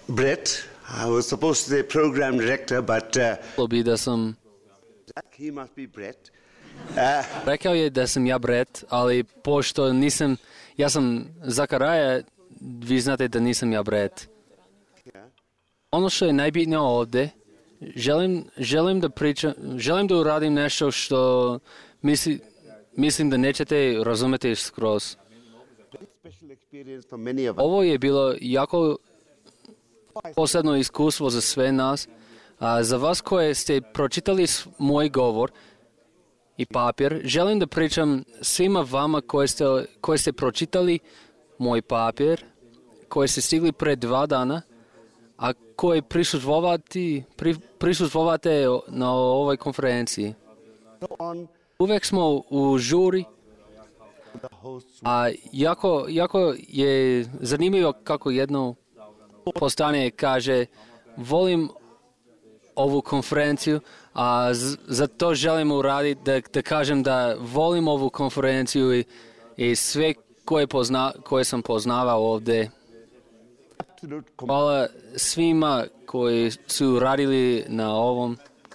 Brett. I was supposed to say program director, but he must be Brett. Rekao je da sam ja Brett, ali pošto nisam, ja sam Zakaraja, vi znate da nisam ja Brett. Ono što je najbitnije ovdje, želim da uradim nešto što mislim da nećete razumjeti skroz. Ovo je bilo jako posebno iskustvo za sve nas. Za vas koje ste pročitali moj govor i papir, želim da pričam svima vama koji ste pročitali moj papir, koji ste stigli pred 2 dana, a koji prisustvovate na ovoj konferenciji. Uvijek smo u žuri, a jako je zanimljivo kako jedno postanje kaže volim ovu konferenciju, a za to želim uraditi da kažem da volim ovu konferenciju i sve koje sam poznavao ovdje. Hvala svima koji su radili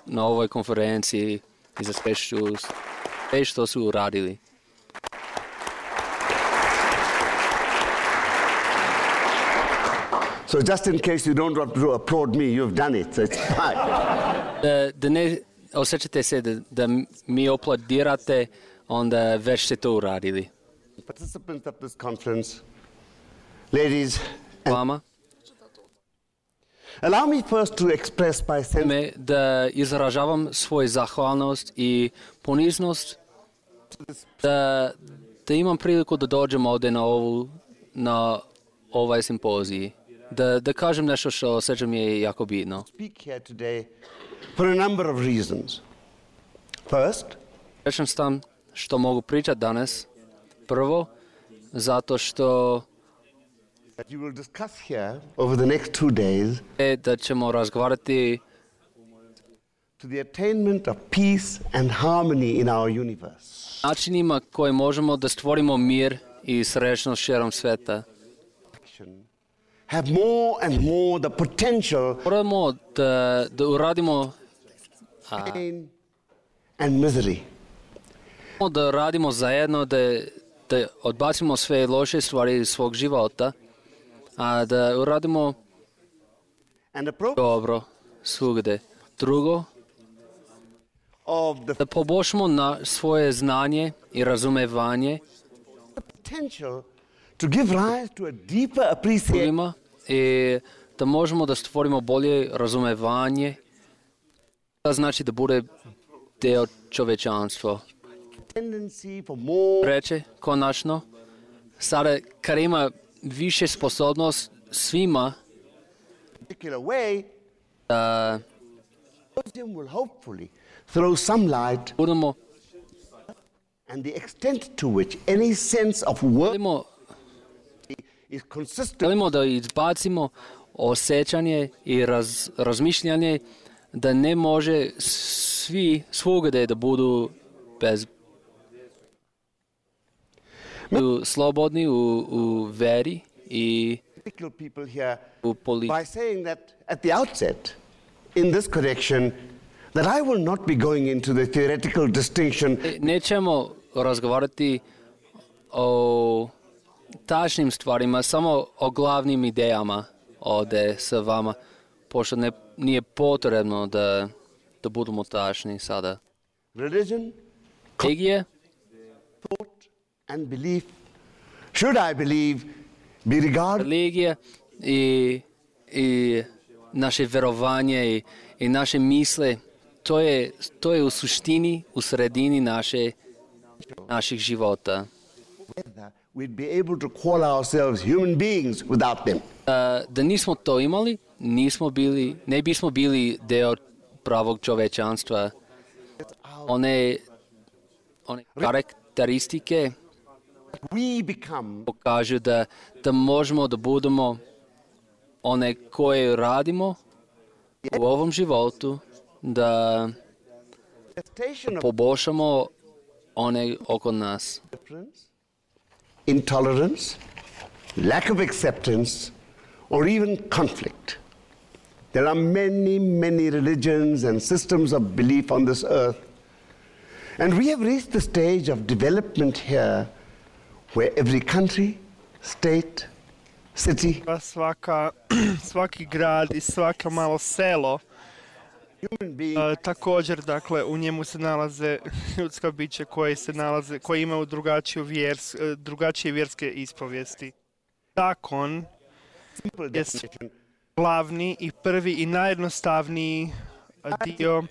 na ovoj konferenciji i za sve što su uradili. So just in case you don't want to applaud me, you've done it, so it's fine. Da ne osjećate se da mi aplaudirate, onda već ste to uradili. Participants of this conference, ladies and Vama, allow me first to express my sense da izražavam svoju zahvalnost i poniznost da imam priliku da dođem ovdje na ovaj simpozij. Da kažem nešto što osjećam je jako bitno. speak here today for a number of reasons. First, Rečem sam što mogu pričati danas. Prvo, zato što that you will discuss here over the next 2 days da ćemo razgovarati to the attainment of peace and harmony in our universe. načinima koje možemo da stvorimo mir i srećnost širom sveta. Have more and more the potential Moramo da uradimo pain and misery. da radimo zajedno, da odbacimo sve loše stvari iz svog života, a da uradimo And the progress dobro svugde. Drugo, of the da poboljšamo svoje znanje i razumevanje potential to give rise to a deeper appreciation drugima i da možemo da stvorimo bolje razumevanje. To znači da bude deo čovečanstva. tendency for more Reče, konačno, sada kad ima više sposobnost svima particular way, da symposium will hopefully throw some light budemo and the extent to which any sense of work is consistent želimo da izbacimo osjećanje i razmišljanje da ne može svugde da budu slobodni u veri i particular people here u politici. by saying that at the outset in this correction that I will not be going into the theoretical distinction Nećemo razgovarati o tačnim stvarima, samo o glavnim idejama ovdje sa vama, pošto nije potrebno da budemo tačni sada. religion, Religija thought and belief should I believe be regarded religija i naše verovanje i naše misle, to je u suštini, u sredini naših života. whether we'd be able to call ourselves human beings without them. Da nismo to imali, ne bismo bili deo pravog čovečanstva. One karakteristike We become pokažu da možemo da budemo one koje radimo u ovom životu, da manifestation of poboljšamo one oko nas. difference, intolerance, lack of acceptance, or even conflict. There are many, many religions and systems of belief on this earth. And we have reached the stage of development here where every country, state, city, svaki grad i svako malo selo, human being također, dakle, u njemu se nalaze ljudska bića koji imaju drugačije vjerske ispovijesti. Zakon simple je definition glavni i prvi i najjednostavniji dio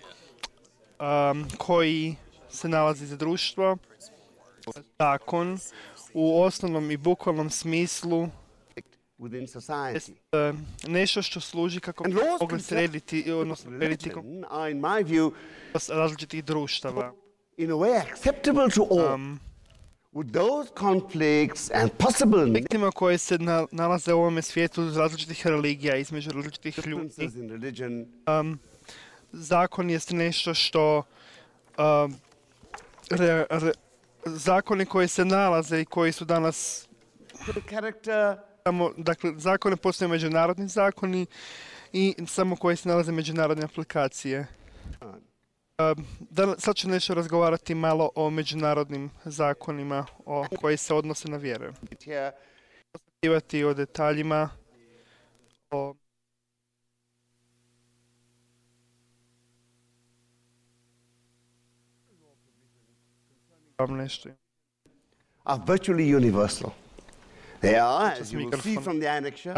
koji se nalazi za društvo. Zakon u osnovnom i bukvalnom smislu within society. nešto što služi kako bi And laws mogli srediti, odnosno srediti religion are, in my view, različitih društava. in a way acceptable to all. With those conflicts and possible Konfliktima koje se nalaze u ovome svijetu iz različitih religija, između različitih ljudi. differences in religion, Zakon jest nešto što zakoni koji se nalaze i koji su danas character, dakle, zakone postoje međunarodni zakoni i samo koji se nalaze međunarodne aplikacije. Sad ću nešto razgovarati malo o međunarodnim zakonima koji se odnose na vjere. here, Govoriti o detaljima, o nešto. are virtually universal. They are, as you will see from the annexure,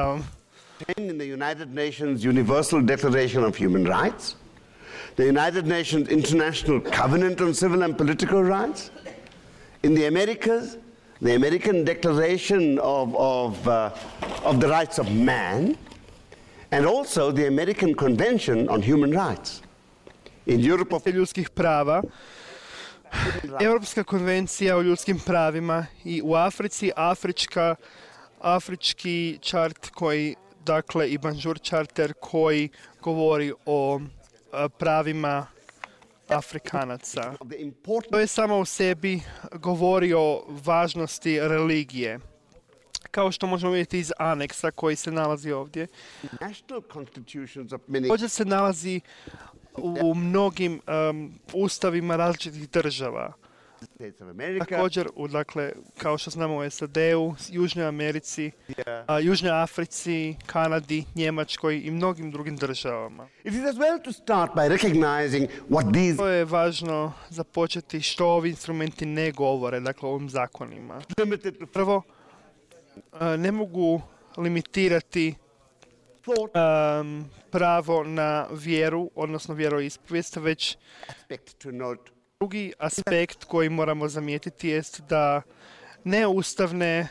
contained in the United Nations Universal Declaration of Human Rights, the United Nations International Covenant on Civil and Political Rights, in the Americas, the American Declaration of the Rights of Man, and also the American Convention on Human Rights. In Europe of ljudskih prava, Europska konvencija o ljudskim pravima i u Africi afrički čart koji, dakle, i Banjur charter koji govori o pravima Afrikanaca. the important To je samo u sebi govori o važnosti religije. Kao što možemo vidjeti iz aneksa koji se nalazi ovdje. national constitutions of many Također se nalazi u mnogim ustavima različitih država. states of America, Također, dakle, kao što znamo u SAD-u, Južnoj Americi, Južnoj Africi, Kanadi, Njemačkoj i mnogim drugim državama. it is as well to start by recognizing what these To je važno započeti što ovi instrumenti ne govore, dakle, o ovim zakonima. limited to Prvo, ne mogu limitirati thought pravo na vjeru, odnosno vjeroispovijest, već aspect to note. drugi aspekt koji moramo zamijetiti jest da neustavne,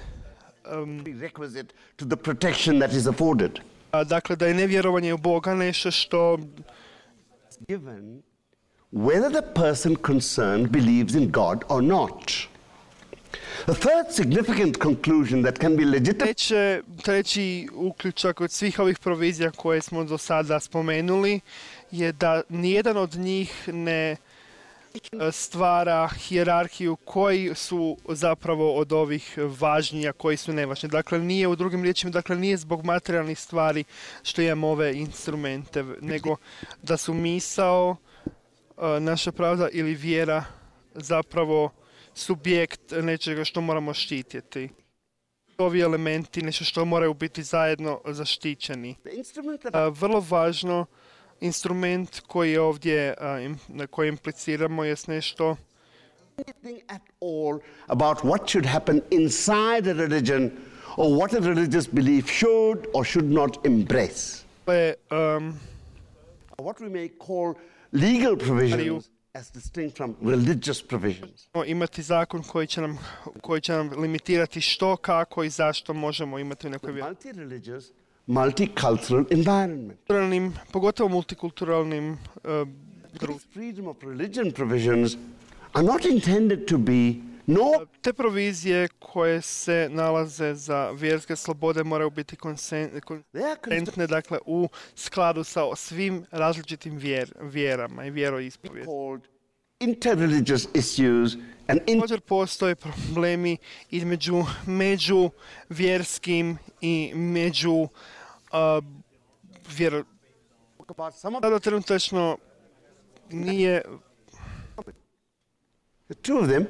Prerequisite to the protection that is afforded. dakle, da je nevjerovanje u Boga nešto što Given whether the person concerned believes in God or not. The third significant conclusion that can be legitimate treći uključak od svih ovih provizija koje smo do sada spomenuli je da nijedan od njih ne stvara hijerarhiju koji su zapravo od ovih važniji, a koji su nevažni. Dakle, nije, u drugim riječima, dakle, nije zbog materijalnih stvari što imamo ove instrumente, nego da su misao, naša pravda ili vjera zapravo subjekt nečega što moramo štititi. Ovi elementi, nešto što moraju biti zajedno zaštićeni. the instrument that Vrlo važno, instrument koji je ovdje, na koji impliciramo, je nešto anything at all about what should happen inside a religion or what a religious belief should or should not embrace. Or what we may call legal provisions as distinct from religious provisions. Imati zakon koji će nam limitirati što, kako i zašto možemo imati u nekoj vjeri. Multi-religious, multicultural environment. Pogotovo multikulturalnim društvom. Freedom of religion provisions are not intended to be nor Te provizije koje se nalaze za vjerske slobode moraju biti konsistentne, dakle, u skladu sa svim različitim vjerama i vjeroispovijesti. called interreligious issues and Također postoje problemi između međuvjerskim i about some of Sada trenutačno nije... Two of them,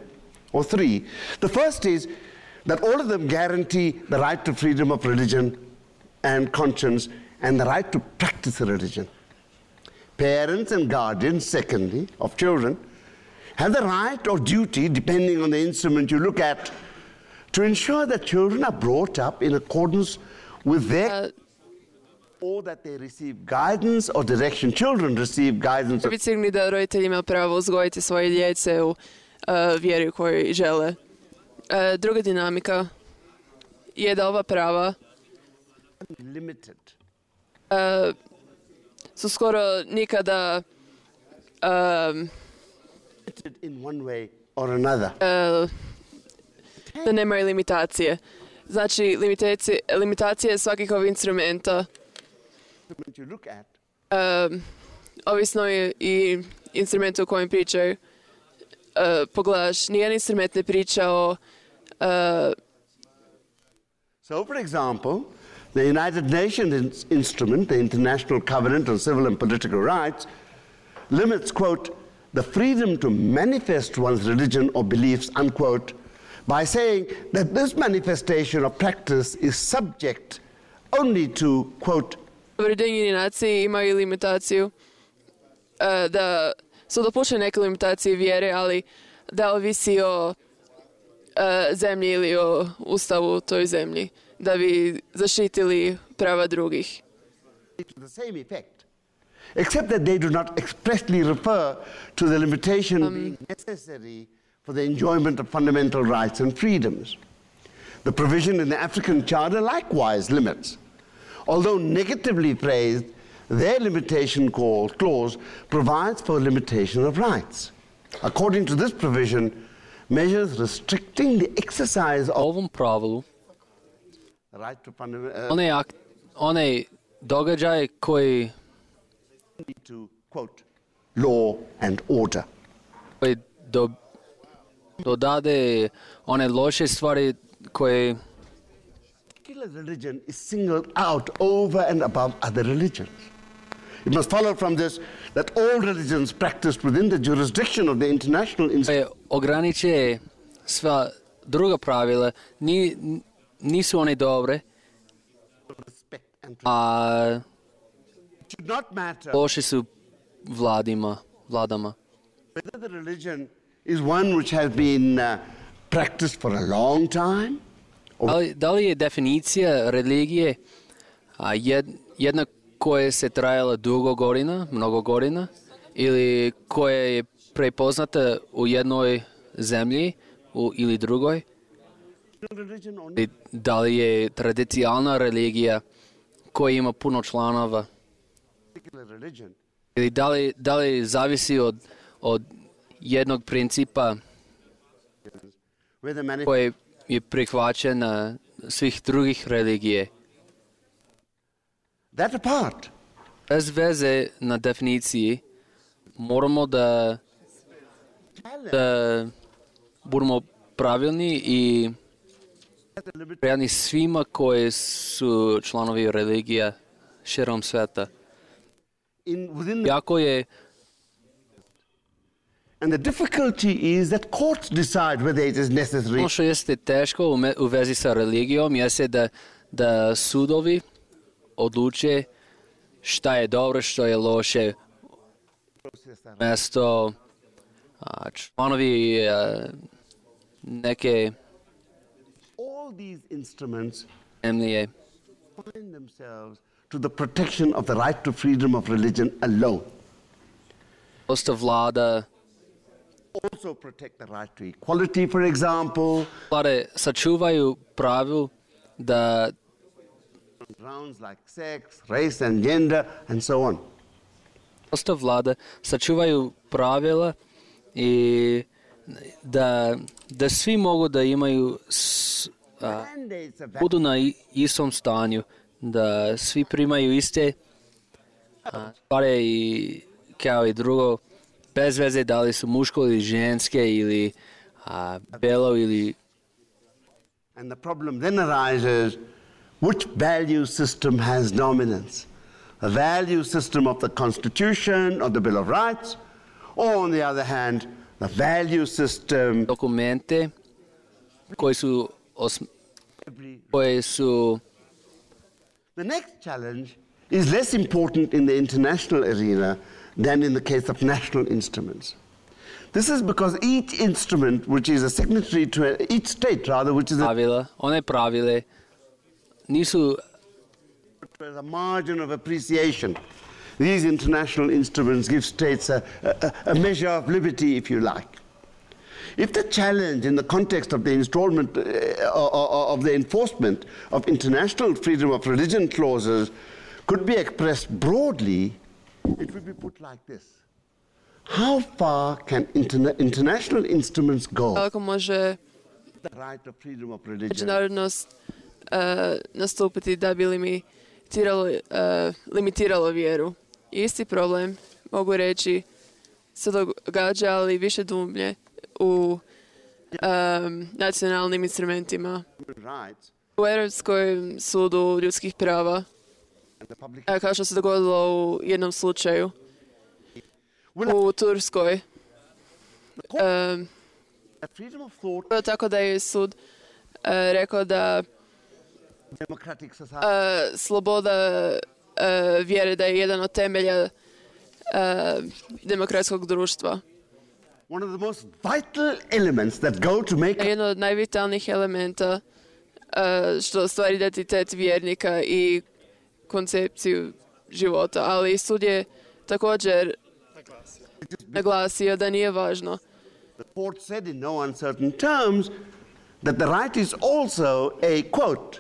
or three. The first is that all of them guarantee the right to freedom of religion and conscience and the right to practice a religion. Parents and guardians, secondly, of children, have the right or duty, depending on the instrument you look at, to ensure that children are brought up in accordance with their... or that they receive guidance or direction. Children receive guidance. Biti sigurni da roditelji imaju pravo uzgojiti svoje djece u vjeri koju žele. Druga dinamika je da ova prava Limited. su skoro nikada In one way or another. da nemaju limitacije. Znači, limitacije svakih ovih instrumenta You look at ovisno je i instrumentu o kojem pričaju. Pogledaš, nijedan instrument ne priča o... So, for example, the United Nations instrument, the International Covenant on Civil and Political Rights, limits, quote, the freedom to manifest one's religion or beliefs, unquote, by saying that this manifestation or practice is subject only to, quote, Ujedinjeni naciji imaju limitaciju da su dopuštene neke limitacije vjere, ali da ovisi o zemlji ili o ustavu toj zemlji, da bi zaštitili prava drugih. to the same effect, except that they do not expressly refer to the limitation being necessary for the enjoyment of fundamental rights and freedoms. The provision in the African Charter likewise limits. Although negatively phrased, their limitation clause provides for limitation of rights. According to this provision, measures restricting the exercise of ovom pravilu the right to fundamental one događaje koji to, quote, law and order. dodade one loše stvari koje Particular religion is singled out over and above other religions. It must follow from this that all religions practiced within the jurisdiction of the international institution ograniče sva druga pravila, nisu one dobre, respect and a it should not matter loše su vladama. whether the religion is one which has been practiced for a long time. Da li je definicija religije jedna koja se trajala mnogo godina, ili koja je prepoznata u jednoj zemlji ili drugoj? Da li je tradicionalna religija koja ima puno članova? Ili da li zavisi od jednog principa koji je prihvaćen na svih drugih religije? That apart, Bez veze na definiciji moramo da budemo pravilni i prijatni svima koji su članovi religija širom sveta. Jako je and the difficulty is that courts decide whether it is necessary. ono što jeste teško u vezi sa religijom jeste da sudovi odluče šta je dobro, što je loše. Mesto članovi neke All these instruments zemlje find themselves to the protection of the right to freedom of religion alone. dosta vlada Also protect the right to equality, for example. vlade sačuvaju pravilu da Grounds like sex, race and gender and so on. dosta vlada sačuvaju pravila i da svi mogu da imaju Mandates of budu na istom stanju, da svi primaju iste stvari i kao i drugo, bez veze da li su muško ili ženske ili belo ili... And the problem then arises, which value system has dominance? the value system of the Constitution, of the Bill of Rights, or on the other hand, the value system dokumente koji su The next challenge is less important in the international arena than in the case of national instruments. This is because each instrument, which is a signatory to each state, rather, which is one pravile nisu a margin of appreciation. These international instruments give states a measure of liberty, if you like. If the challenge in the context of the installment of the enforcement of international freedom of religion clauses could be expressed broadly, it would be put like this. How far can international instruments go? Kako može The right of freedom of religion. međunarodnost nastupiti da bi limitiralo vjeru? Isti problem, mogu reći, se događa, ali više dublje u nacionalnim instrumentima. U Europskom sudu ljudskih prava, kao što se dogodilo u jednom slučaju, u Turskoj. Tako da je sud rekao da sloboda vjere da je jedan od temelja demokratskog društva. One of the most vital elements that go to make Jedno od najvitalnijih elementa što stvari identitet vjernika i koncepciju života, ali sud je također naglasio da nije važno. The court said in no uncertain terms that the right is also a, quote,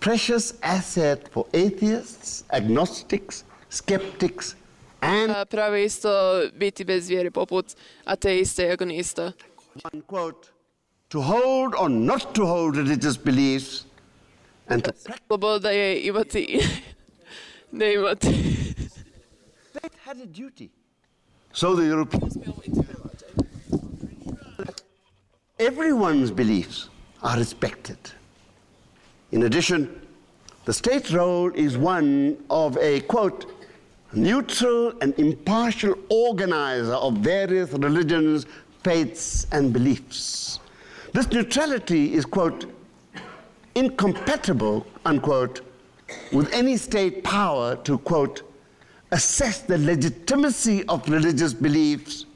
precious asset for atheists, agnostics, skeptics, and Pravo je isto biti bez vjere poput ateista i agonista. one quote, to hold or not to hold religious beliefs and to practice. Sloboda je imati i ne imati. State had a duty. So the European everyone's beliefs are respected. In addition, the state role is one of a, quote, neutral and impartial organizer of various religions, faiths, and beliefs. This neutrality is, quote, incompatible, unquote, with any state power to, quote, assess the legitimacy of religious beliefs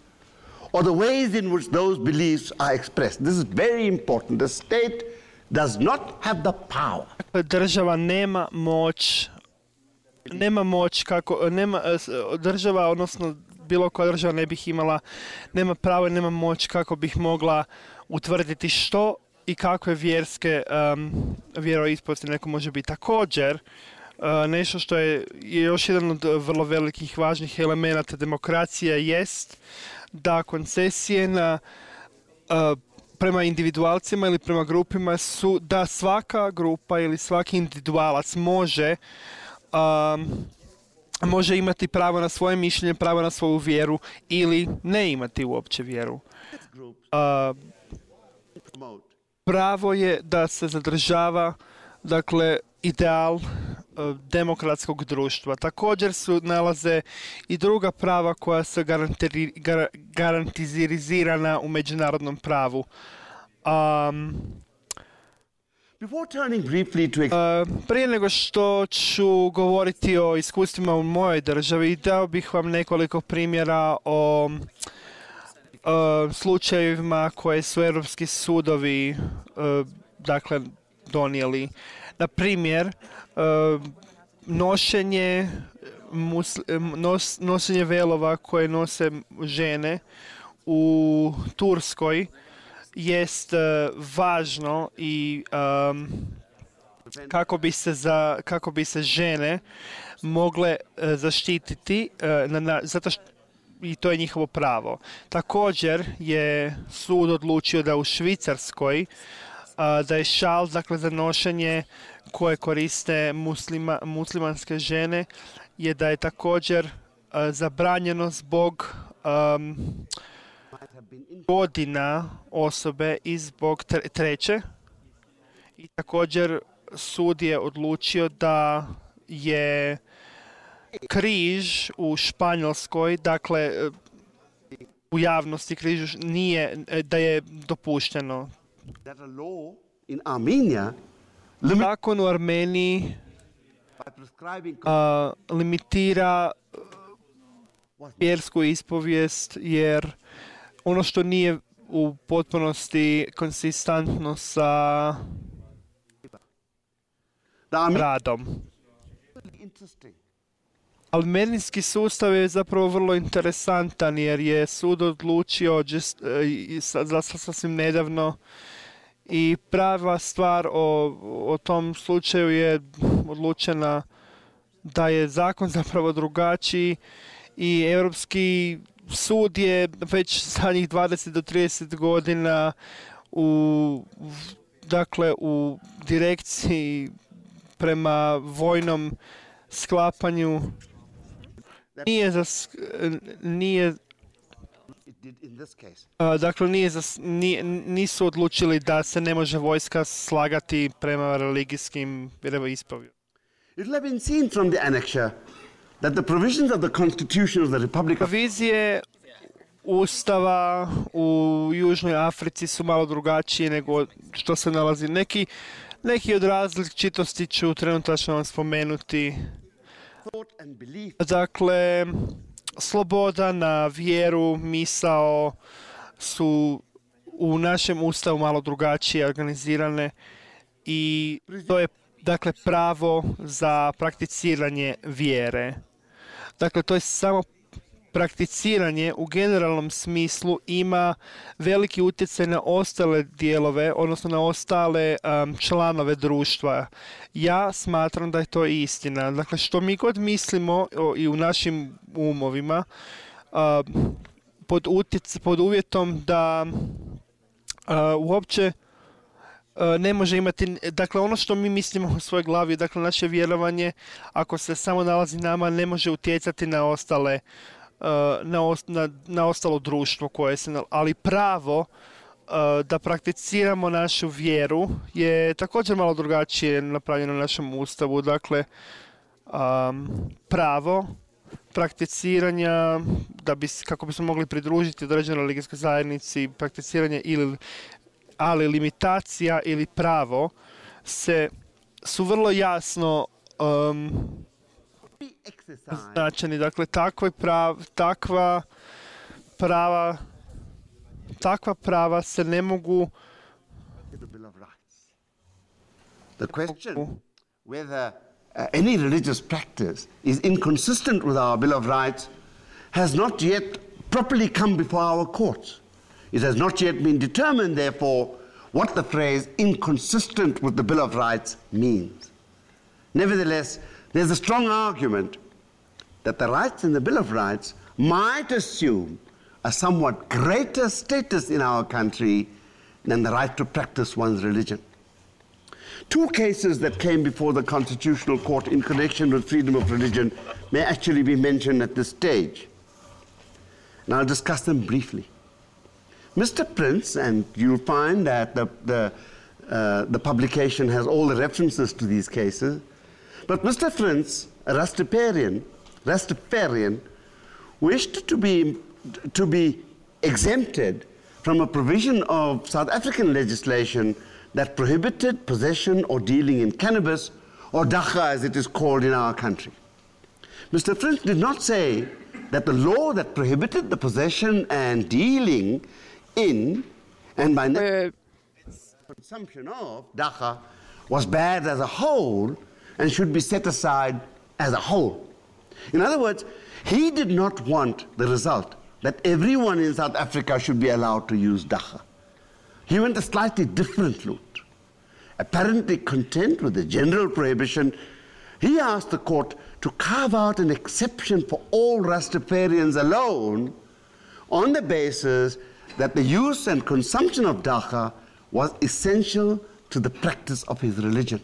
or the ways in which those beliefs are expressed. This is very important. The state does not have the power. Država nema moć kako, država, odnosno bilo koja država ne bih imala, nema pravo i nema moć kako bih mogla utvrditi što i kakve vjerske vjeroispovesti neko može biti. Također, nešto što je još jedan od vrlo velikih važnih elemenata demokracije jest da koncesije prema individualcima ili prema grupima su da svaka grupa ili svaki individualac može imati pravo na svoje mišljenje, pravo na svoju vjeru ili ne imati uopće vjeru. Pravo je da se zadržava, dakle, ideal demokratskog društva. Također su nalaze i druga prava koja su garantizirana u međunarodnom pravu. Prije nego što ću govoriti o iskustvima u mojoj državi, dao bih vam nekoliko primjera o slučajevima koje su europski sudovi dakle donijeli. Na primjer, nošenje velova koje nose žene u Turskoj jest važno i kako bi se žene mogle zaštititi zato što i to je njihovo pravo. Također je sud odlučio da u Švicarskoj da je šal, dakle, za nošenje koje koriste muslimanske žene, je da je također zabranjeno zbog godina osobe i zbog treće. I također sud je odlučio da je križ u Španjolskoj, dakle, u javnosti križ nije, da je dopušteno. Zakon u Armeniji limitira vjersku ispovijest, jer ono što nije u potpunosti konsistentno sa radom. Armenijski sustav je zapravo vrlo interesantan, jer je sud odlučio sasvim nedavno i prava stvar o tom slučaju je odlučena da je zakon zapravo drugačiji i Europski sud je već zadnjih 20 do 30 godina u direkciji prema vojnom sklapanju nisu odlučili da se ne može vojska slagati prema religijskim vjeroispovjedima. It will have been seen from the annexure that the provisions of the Constitution of the Republic of Provizije Ustava u Južnoj Africi su malo drugačije nego što se nalazi. Neki od različitosti ću trenutačno vam spomenuti. Dakle, sloboda na vjeru, misao su u našem Ustavu malo drugačije organizirane i to je dakle pravo za prakticiranje vjere. Dakle, to je samo prakticiranje u generalnom smislu ima veliki utjecaj na ostale dijelove, odnosno na ostale članove društva. Ja smatram da je to istina. Dakle, što mi god mislimo i u našim umovima, pod uvjetom da uopće ne može imati, dakle ono što mi mislimo u svojoj glavi, dakle naše vjerovanje, ako se samo nalazi nama, ne može utjecati na ostale na ostalo društvo koje se, ali pravo da prakticiramo našu vjeru je također malo drugačije napravljeno u našem Ustavu. Dakle, pravo prakticiranja kako bismo mogli pridružiti određenoj religijskoj zajednici, prakticiranje ali limitacija ili pravo su vrlo jasno značeni. Dakle, takva prava se ne mogu. The question whether any religious practice is inconsistent with our Bill of Rights has not yet properly come before our courts. It has not yet been determined, therefore, what the phrase inconsistent with the Bill of Rights means. Nevertheless, there's a strong argument that the rights in the Bill of Rights might assume a somewhat greater status in our country than the right to practice one's religion. Two cases that came before the Constitutional Court in connection with freedom of religion may actually be mentioned at this stage. And I'll discuss them briefly. Mr. Prince, and you'll find that the publication has all the references to these cases, but Mr. Prince, a Rastafarian, wished to be exempted from a provision of South African legislation that prohibited possession or dealing in cannabis, or dacha as it is called in our country. Mr. Prince did not say that the law that prohibited the possession and dealing in, and by consumption of dacha was bad as a whole and should be set aside as a whole. In other words, he did not want the result that everyone in South Africa should be allowed to use dacha. He went a slightly different route. Apparently content with the general prohibition, he asked the court to carve out an exception for all Rastafarians alone on the basis that the use and consumption of dacha was essential to the practice of his religion.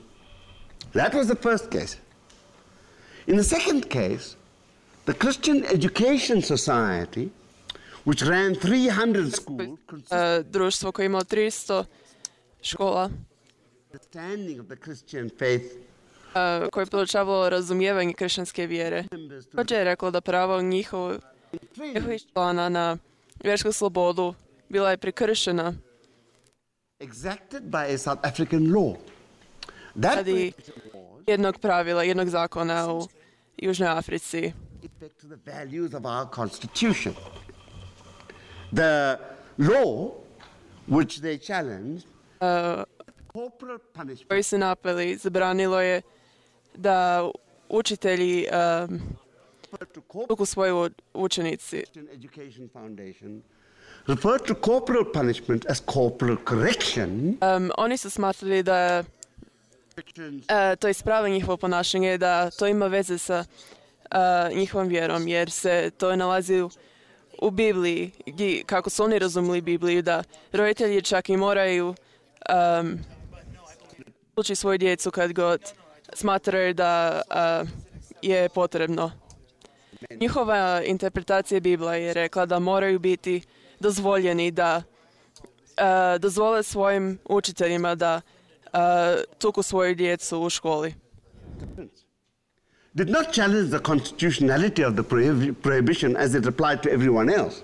That was the first case. In the second case, the Christian Education Society, which ran 300 schools, društvo koje ima 300 škola. The understanding of the Christian faith koje je podučavalo razumijevanje kršćanske vjere. Također je reklo da pravo njihovih člana na vjersku slobodu bila je prekršena exacted by a South African law. radi jednog pravila, jednog zakona u Južnoj Africi. Respect to the values of our constitution. The law which they challenged, corporal punishment, Koji se napeli, zabranilo je da učitelji tuku svoje učenici. Education Foundation referred to corporal punishment as corporal correction. Oni su smatrali da to ispravlja njihovo ponašanje, da to ima veze sa njihovom vjerom, jer se to nalazi u Bibliji, kako su oni razumili Bibliju, da roditelji čak i moraju ući svoju djecu kad god smatraju da je potrebno. Njihova interpretacija Biblija je rekla da moraju biti dozvoljeni da dozvole svojim učiteljima da tuku svoju djecu u školi. Did not challenge the constitutionality of the prohibition as it applied to everyone else.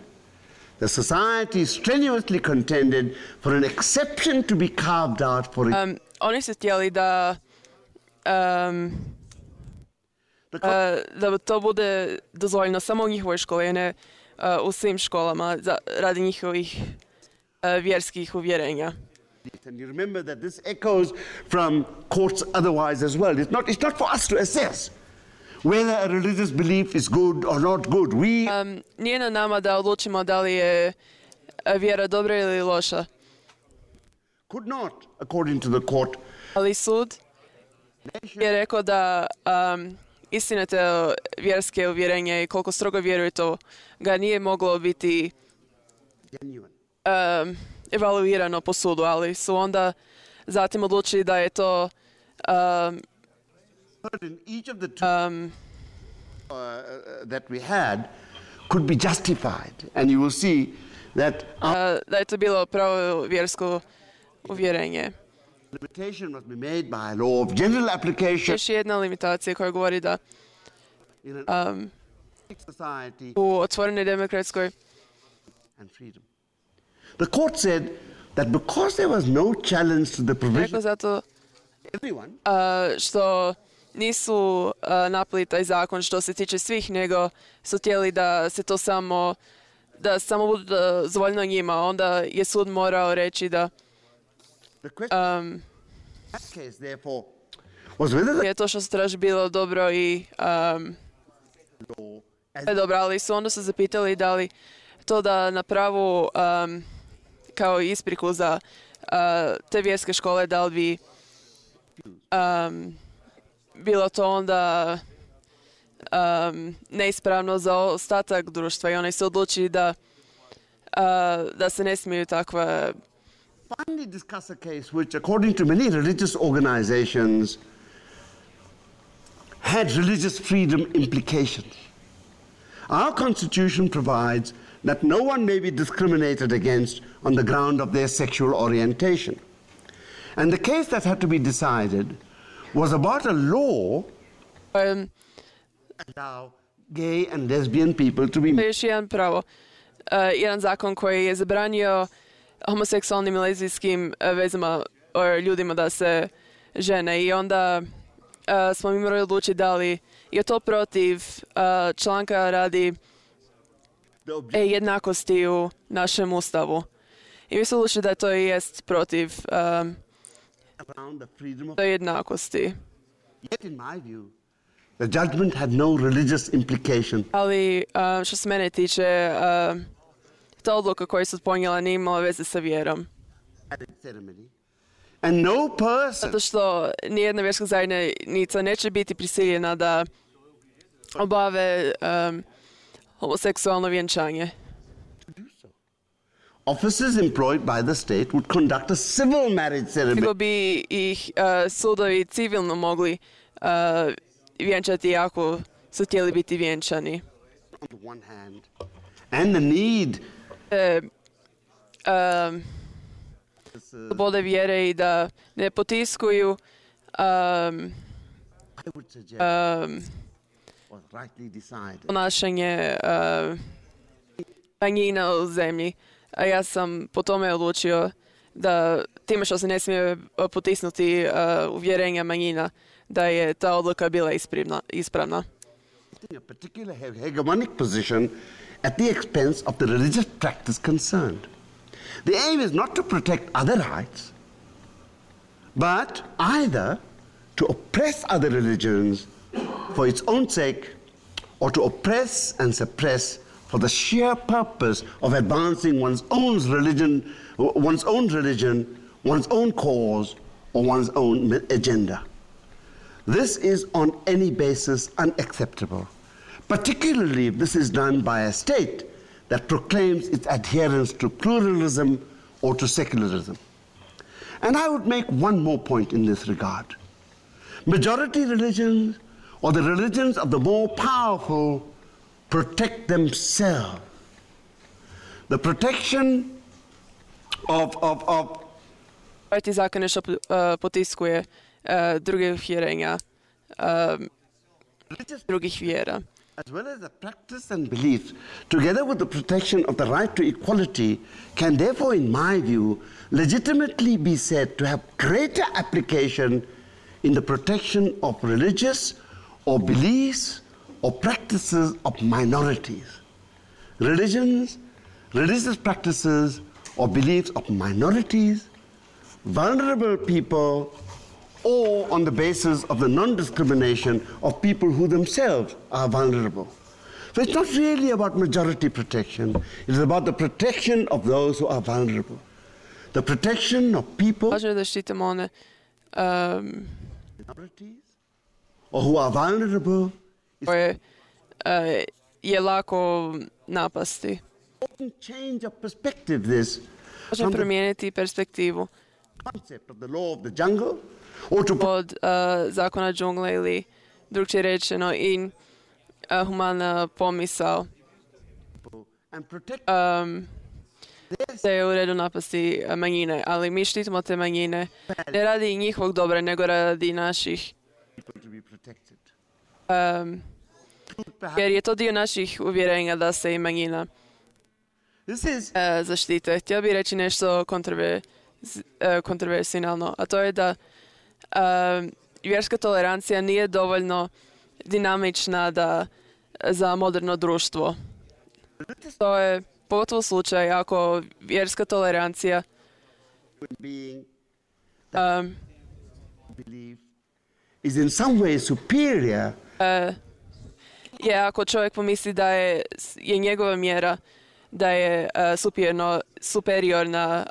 The society strenuously contended for an exception to be carved out for it. Oni su htjeli da to bude dozvoljeno samo u njihovoj školi, ne u svim školama radi njihovih vjerskih uvjerenja. And you remember that this echoes from courts otherwise as well. It's not for us to assess whether a religious belief is good or not good. Nije na nama da odlučimo da li je vjera dobra ili loša. Could not, according to the court. Ali sud je rekao da istinite vjerske uvjerenje i koliko strogo vjeruje to ga nije moglo biti evaluirano po sudu, ali su onda zatim odlučili da je to that we had could be justified, and you will see that da je to bilo pravo vjersko uvjerenje. Limitation must be made by a law of general application. Još jedna limitacija koja govori da u otvorenoj demokratskoj and freedom. The court said that because there was no challenge to the provision, zato everyone, što nisu napali taj zakon što se tiče svih, nego su htjeli da se to samo bude dozvoljeno njima. Onda je sud morao reći da je to što se traži bilo dobro i dobro, ali su onda se zapitali da li to da na pravu kao ispriku za te vjerske škole, da li bi bilo to onda neispravno za ostatak društva, i oni se odlučili da se ne smiju takva. Finally discuss a case which, according to many religious organizations, had religious freedom implications. Our Constitution provides that no one may be discriminated against on the ground of their sexual orientation. And the case that had to be decided was about a law allow gay and lesbian people to be married. Još jedan zakon koji je zabranio homoseksualnim i lezbijskim vezama ljudima da se žene, i onda smo mi morali odlučiti da li je to protiv članka radi jednakosti u našem ustavu. I mi smo odlučili da to jest protiv jednakosti. Yet in my view, the judgment had no religious implication. Ali što se mene tiče, ta odluka koju su ponijela nije imala veze sa vjerom. And no person, zato što nijedna vjerska zajednica neće biti prisiljena da obave homoseksualno vjenčanje. officers employed by the state would conduct a civil marriage ceremony. Nego bi ih sudovi civilno mogli vjenčati ako su htjeli biti vjenčani. On the one hand, and the need slobode vjere i da ne potiskuju would suggest was rightly decided. Ponašanje manjina u zemlji. A ja sam po tome odlučio da time što se ne smije potisnuti uvjerenja manjina, da je ta odluka bila ispravna. A particular hegemonic position at the expense of the religious practice concerned. The aim is not to protect other rights, but either to oppress other religions for its own sake, or to oppress and suppress for the sheer purpose of advancing one's own religion, one's own cause, or one's own agenda. This is on any basis unacceptable, particularly if this is done by a state that proclaims its adherence to pluralism or to secularism. And I would make one more point in this regard. Majority religions, or the religions of the more powerful, protect themselves. The protection of Ti zakon nešto potiskuje druge uvjerenja, drugih vjera. As well as the practice and beliefs, together with the protection of the right to equality, can therefore, in my view, legitimately be said to have greater application in the protection of religious or beliefs or practices of minorities. Religious practices or beliefs of minorities, vulnerable people, or on the basis of the non-discrimination of people who themselves are vulnerable. So it's not really about majority protection. It's about the protection of those who are vulnerable. The protection of people Važno je da štitimo one minorities or who are vulnerable. koje je lako napasti. Change of perspective this Važno je promijeniti perspektivu concept of the law of the jungle or to od zakona džungle ili drugčije rečeno i humana pomisao and protect da je u redu napasti manjine, ali mi štitimo te manjine ne radi njihovog dobra, nego radi naših, people to be protected. jer je to dio naših uvjerenja da se i manjina This is zaštite. Htio bih reći nešto kontroversijalno, a to je da vjerska tolerancija nije dovoljno dinamična za moderno društvo. To je pogotovo slučaj ako vjerska tolerancija being belief is in some way superior je ako čovjek pomisli da je njegova mjera da je superiorna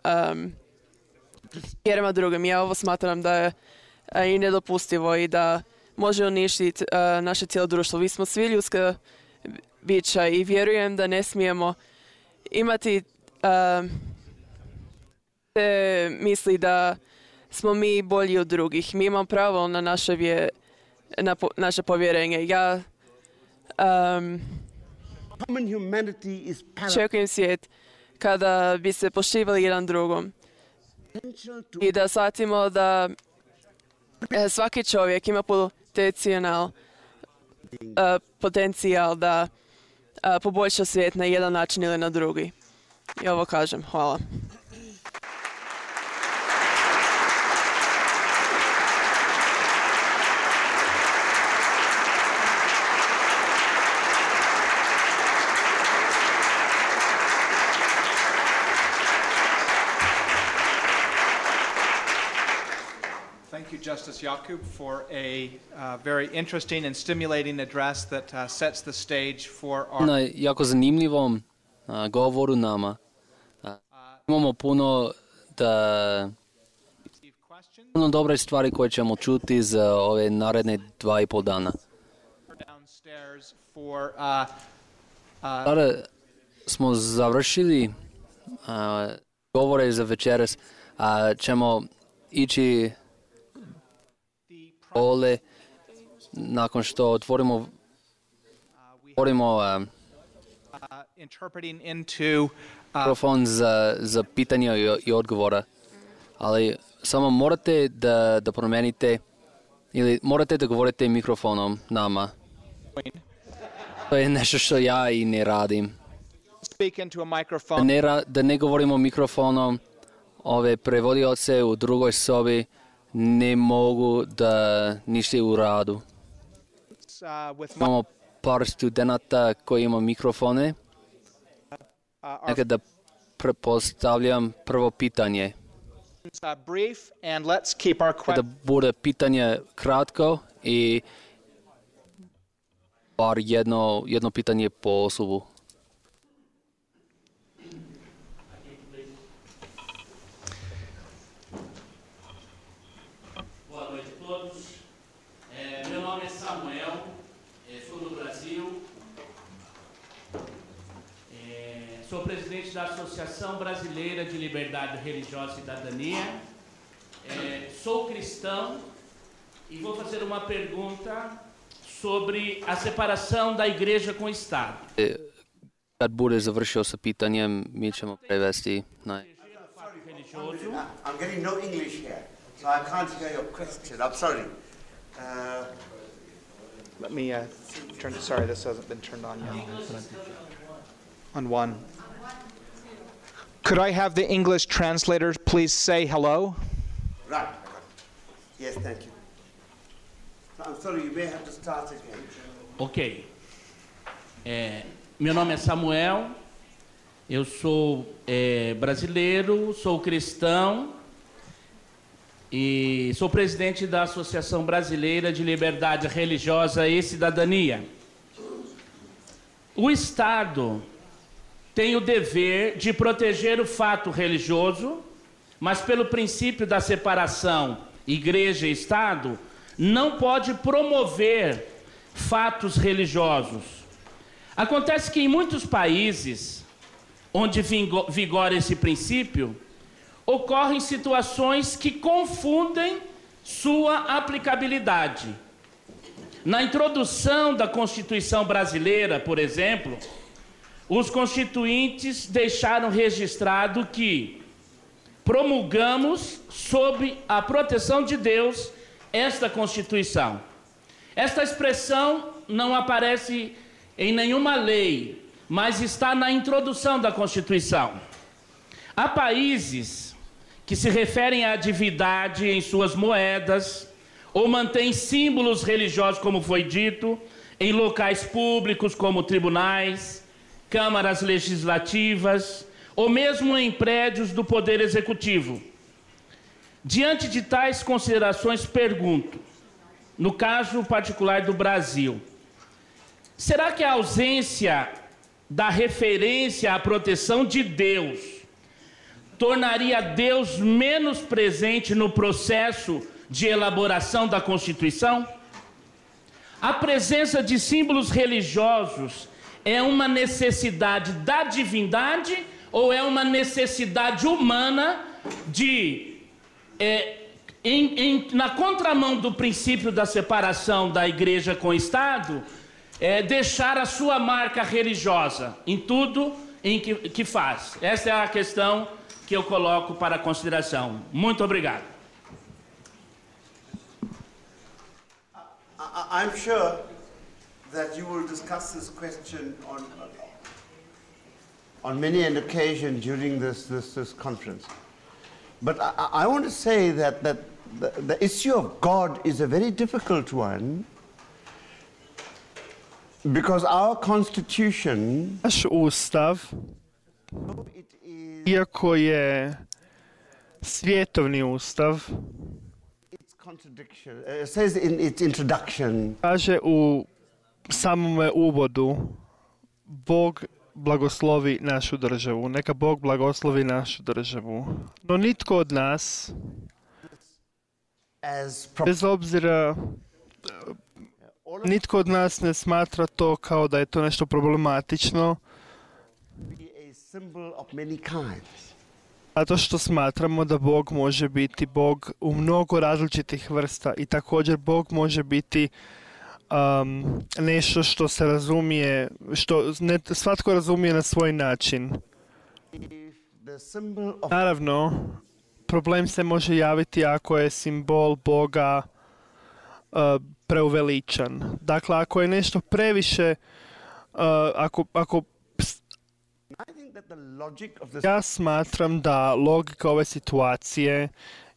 mjerama drugim. Ja ovo smatram da je i nedopustivo i da može uništiti naše cijelo društvo. Mi smo svi ljudska bića i vjerujem da ne smijemo imati te misli da smo mi bolji od drugih. Mi imamo pravo na naše povjerenje. Ja common humanity is čekujem svijet kada bi se poštivali jedan drugom i da shvatimo da svaki čovjek ima potencijal da poboljša svijet na jedan način ili na drugi. I ovo kažem. Hvala. Thank you, Justice Jakub, for a very interesting and stimulating address that sets the stage for our... Na jako zanimljivom govoru nama. Imamo puno dobre stvari koje ćemo čuti za ove naredne 2,5 dana. Sada smo završili govore za večeras, a ćemo ići ole nakon što otvorimo mikrofon za pitanja i odgovora. Ali samo morate da promenite Ili morate da govorite mikrofonom nama. To je nešto što ja i ne radim. Speak into a microphone. Da ne govorimo mikrofonom, ove prevodioce u drugoj sobi ne mogu da ništa u radu. Imamo par studenta koji ima mikrofone. Nekada prepostavljam prvo pitanje. Da bude pitanje kratko i bar jedno pitanje po osobu. Boa noite a todos. Meu nome é Samuel, sou do Brasil. Sou presidente da Associação Brasileira de Liberdade Religiosa e Cidadania. Sou cristão e vou fazer uma pergunta sobre a separação da igreja com o Estado. Kad bude završio sa pitanjem, mi ćemo prevesti na... I'm getting no English here, so I can't hear your question. I'm sorry. Let me turn to, sorry, this hasn't been turned on yet. On one. Could I have the English translators please say hello? Right. Yes, thank you. I'm sorry, you may have to start again. Ok. Meu nome é Samuel, eu sou brasileiro, sou cristão e sou presidente da Associação Brasileira de Liberdade Religiosa e Cidadania. O Estado tem o dever de proteger o fato religioso, mas pelo princípio da separação igreja e Estado, não pode promover fatos religiosos. Acontece que em muitos países onde vigora esse princípio, ocorrem situações que confundem sua aplicabilidade. Na introdução da Constituição brasileira, por exemplo, os constituintes deixaram registrado que promulgamos, sob a proteção de Deus, esta Constituição. Esta expressão não aparece em nenhuma lei, mas está na introdução da Constituição. Há países que se referem à divindade em suas moedas, ou mantêm símbolos religiosos, como foi dito, em locais públicos como tribunais, câmaras legislativas, ou mesmo em prédios do Poder Executivo. Diante de tais considerações, pergunto, no caso particular do Brasil, será que a ausência da referência à proteção de Deus tornaria Deus menos presente no processo de elaboração da Constituição? A presença de símbolos religiosos é uma necessidade da divindade ou é uma necessidade humana de, na contramão do princípio da separação da igreja com o Estado, deixar a sua marca religiosa em tudo em que faz? Essa é a questão que eu coloco para consideração. Muito obrigado. I'm sure that you will discuss this question on many an occasion during this conference. But I want to say that the issue of God is a very difficult one, because our Constitution, naš Ustav, iako je svjetovni Ustav, it says in its introduction, kaže u samome uvodu, Bog blagoslovi našu državu. Neka Bog blagoslovi našu državu. No nitko od nas, bez obzira, nitko od nas ne smatra to kao da je to nešto problematično, zato što smatramo da Bog može biti Bog u mnogo različitih vrsta i također Bog može biti nešto što se razumije, što svatko razumije na svoj način. Naravno, problem se može javiti ako je simbol Boga preuveličan. Dakle, ako je nešto previše, ako ja smatram da logika ove situacije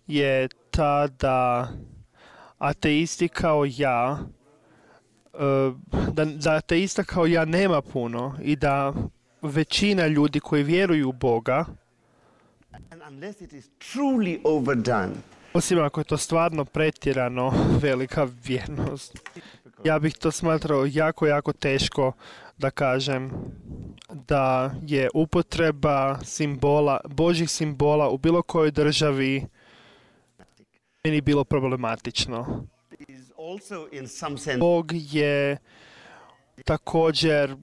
je ta da ateisti kao ja, da ateista kao ja nema puno i da većina ljudi koji vjeruju u Boga, osim ako je to stvarno pretjerano velika vjernost, ja bih to smatrao jako, jako teško da kažem da je upotreba simbola, Božjih simbola u bilo kojoj državi meni bilo problematično. Bog je također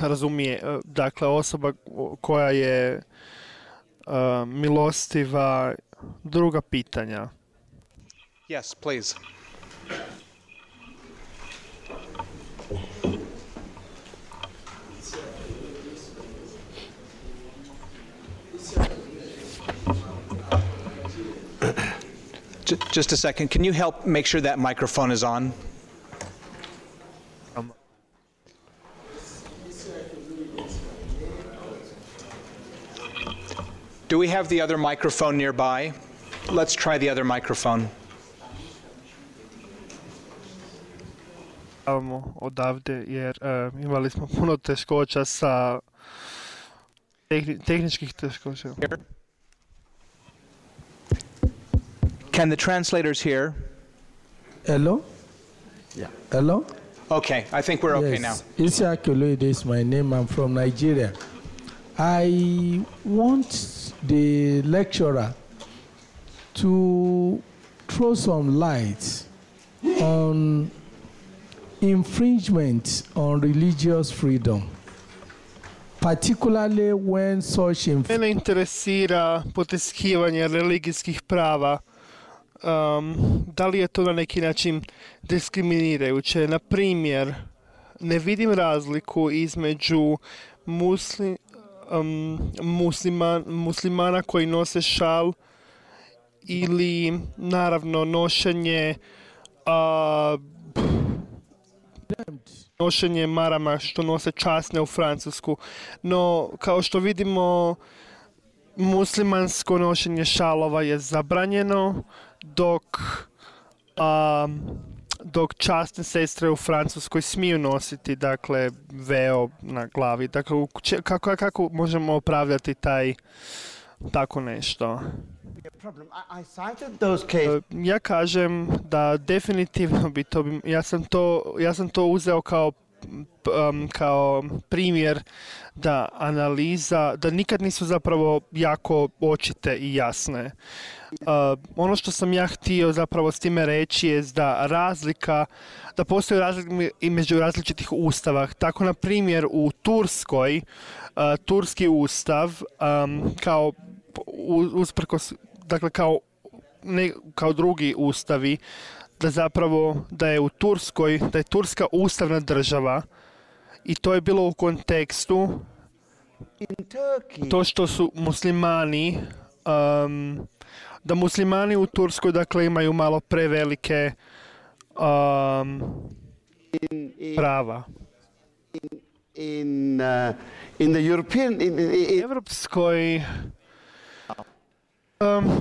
razumije, dakle osoba koja je milostiva. Druga pitanja. Yes, please. Just a second. Can you help make sure that microphone is on? Do we have the other microphone nearby? Let's try the other microphone. Odavde, jer imali smo puno teškoća sa tehničkih teškoća. Can the translators hear? Hello? Yeah. Hello? Okay, I think we're okay now. Isiaq Oloyede is my name. I'm from Nigeria. I want the lecturer to throw some light on infringement on religious freedom, particularly when such Mene interesira potiskivanje religijskih prava. Da li je to na neki način diskriminirajuće? Na primjer, ne vidim razliku između muslimana koji nose šal ili naravno nošenje marama što nose časne u Francusku. No, kao što vidimo, muslimansko nošenje šalova je zabranjeno, dok časne sestre u Francuskoj smiju nositi, dakle, veo na glavi. Dakle, kako možemo opravdati tako nešto? Ja kažem da definitivno bi to... Ja sam to uzeo kao primjer da analiza, da nikad nisu zapravo jako očite i jasne. Ono što sam ja htio zapravo s time reći je da postoji razlika između različitih ustava. Tako, na primjer, u Turskoj, turski ustav kao usprkos, dakle kao drugi ustavi, da je u Turskoj, da je Turska ustavna država i to je bilo u kontekstu to što su muslimani, da muslimani u Turskoj, dakle, imaju malo prevelike prava. Evropskoj,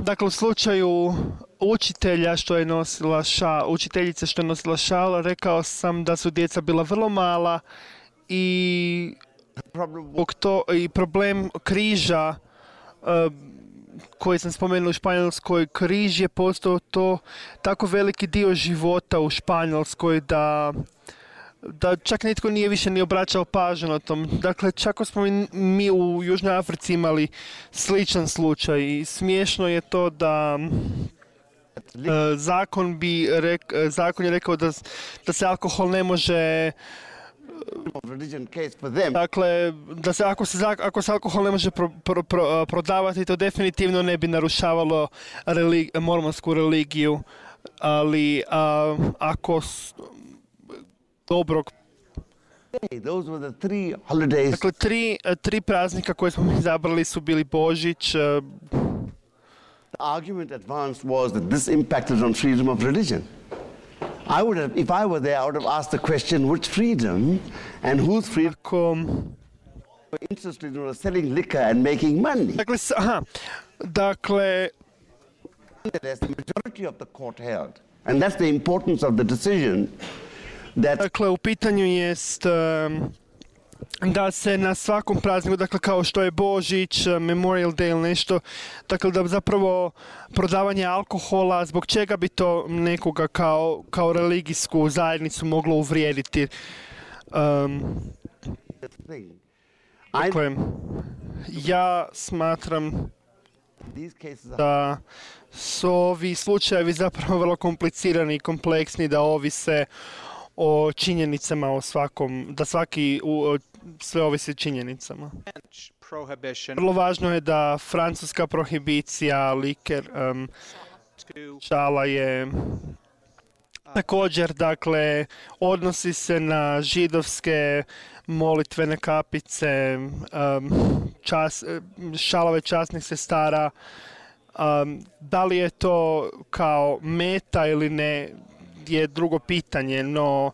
dakle, u slučaju učiteljice što je nosila šal, rekao sam da su djeca bila vrlo mala i problem križa koji sam spomenuo u Španjolskoj, križ je postao to tako veliki dio života u Španjolskoj da čak nitko nije više ni obraćao pažnju na tom. Dakle, čak smo mi u Južnoj Africi imali sličan slučaj i smiješno je to da zakon je rekao da se alkohol ne može, dakle, ako se alkohol ne može prodavati, to definitivno ne bi narušavalo mormonsku religiju, ali ako dobrog. Dakle, tri praznika koje smo izabrali su bili Božić. The argument advanced was that this impacted on freedom of religion. if I were there, I would have asked the question, which freedom and whose freedom were interested in selling liquor and making money. Dakle, as the majority of the court held. And that's the importance of the decision that... Dakle, u pitanju jest da se na svakom prazniku, dakle kao što je Božić, Memorial Day ili nešto, dakle da zapravo prodavanje alkohola, zbog čega bi to nekoga kao religijsku zajednicu moglo uvrijediti? Dakle, ja smatram da su ovi slučajevi zapravo vrlo komplicirani i kompleksni, da ovise o činjenicama o svakom, da sve ovisi o činjenicama. Vrlo važno je da francuska prohibicija liker šala je također, dakle, odnosi se na židovske molitvene kapice, šalove časnih sestara. Da li je to kao meta ili ne je drugo pitanje, no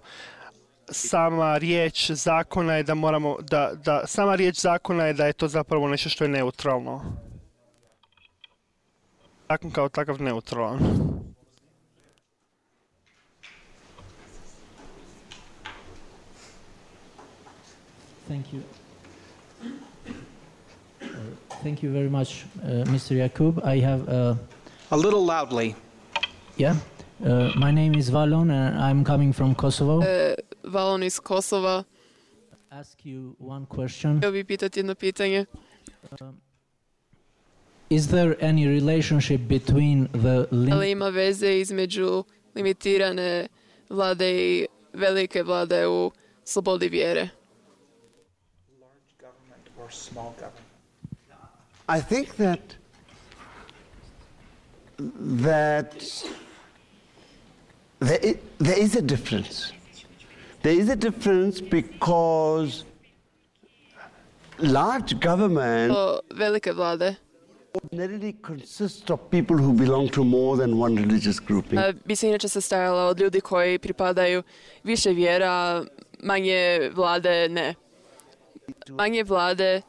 sama riječ zakona je sama riječ zakona je da je to zapravo nešto što je neutralno. Zakon kao takav neutralan. Thank you. Thank you very much, Mr. Jakub. I have a little loudly. Yeah. My name is Valon and I'm coming from Kosovo. Valon iz Kosova. Ask you one question. Htio bih pitati jedno pitanje. Is there any relationship between the... Ali ima veze između limitirane vlade i velike vlade u slobodi vjere? Large government or small government? I think that there is a difference. There is a difference because large government velike vlade ordinarily consist of people who belong to more than one religious grouping. Bi se inače sastojala od ljudi koji pripadaju više vjera, manje vlade ne. Manje vlade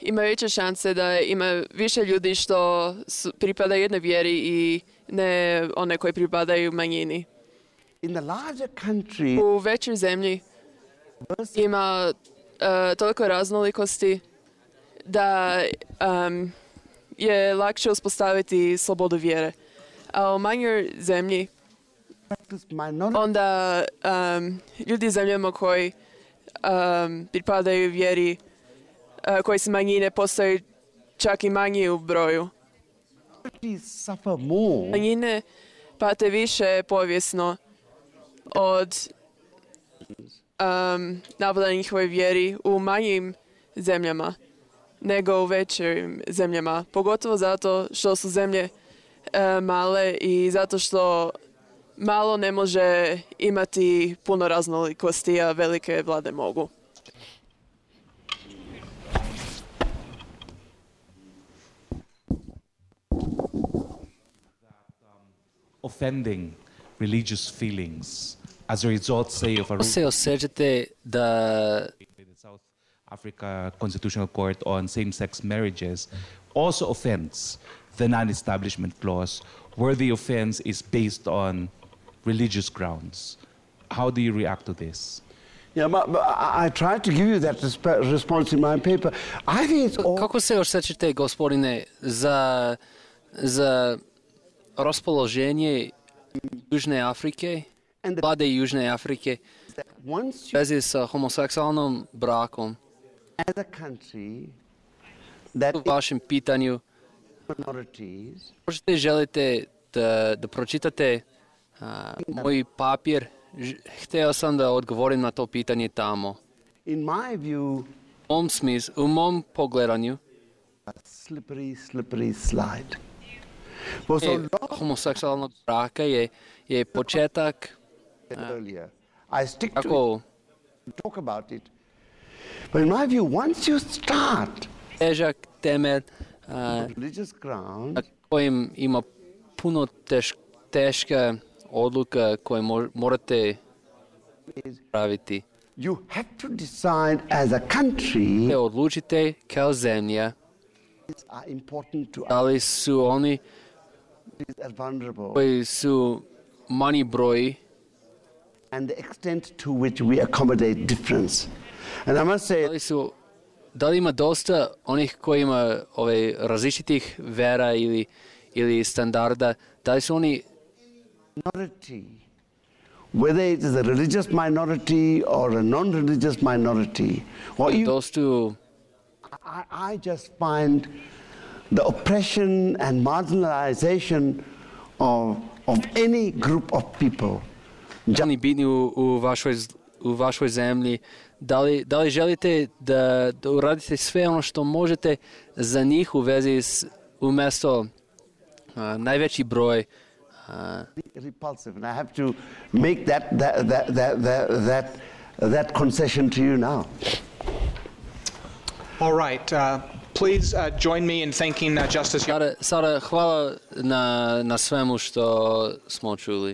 ima veće šanse da ima više ljudi što pripada jednoj vjeri i ne one koji pripadaju manjini. U većoj zemlji ima toliko raznolikosti da je lakše uspostaviti slobodu vjere. A u manjoj zemlji onda ljudi u zemljama koji pripadaju vjeri koji su manjine postaju čak i manji u broju. Manjine pate više povijesno od napada na njihovoj vjeri u manjim zemljama nego u većim zemljama. Pogotovo zato što su zemlje male i zato što malo ne može imati puno raznolikosti, a velike vlade mogu. Offending religious feelings as a result, say, of a se osjećate da South Africa Constitutional Court on same-sex marriages also offends the non-establishment clause, where the offense is based on religious grounds. How do you react to this? Yeah, but I tried to give you that response in my paper. I think it's all... Kako se osjećate, gospodine, za raspoloženje Južne Afrike, vlade Južne Afrike, u vezi sa homoseksualnom brakom? U vašem pitanju, možete želite da pročitate moj papir? Htio sam da odgovorim na to pitanje tamo. U mom pogledanju, slippery slide. Homoseksualnog braka je početak I stick to talk about it. But in my view, once you start težak temelj religious ground, na kojem ima puno teške odluka koje morate praviti. You have to decide as a country Odlučite kao zemlja da li su oni koji su manji broj and the extent to which we accommodate difference. And I must say, da li ima dosta onih koji ima različitih vera ili standarda, da li su oni minority, whether it is a religious minority or a non-religious minority, or even, I just find the oppression and marginalization of any group of people. Oni bitni u vašoj zemlji, da li želite da uradite sve ono što možete za njih u vezi umjesto najveći broj repulsive, and I have to make that concession to you now. All right. Please join me in thanking Justice. Sada hvala na svemu što smo čuli.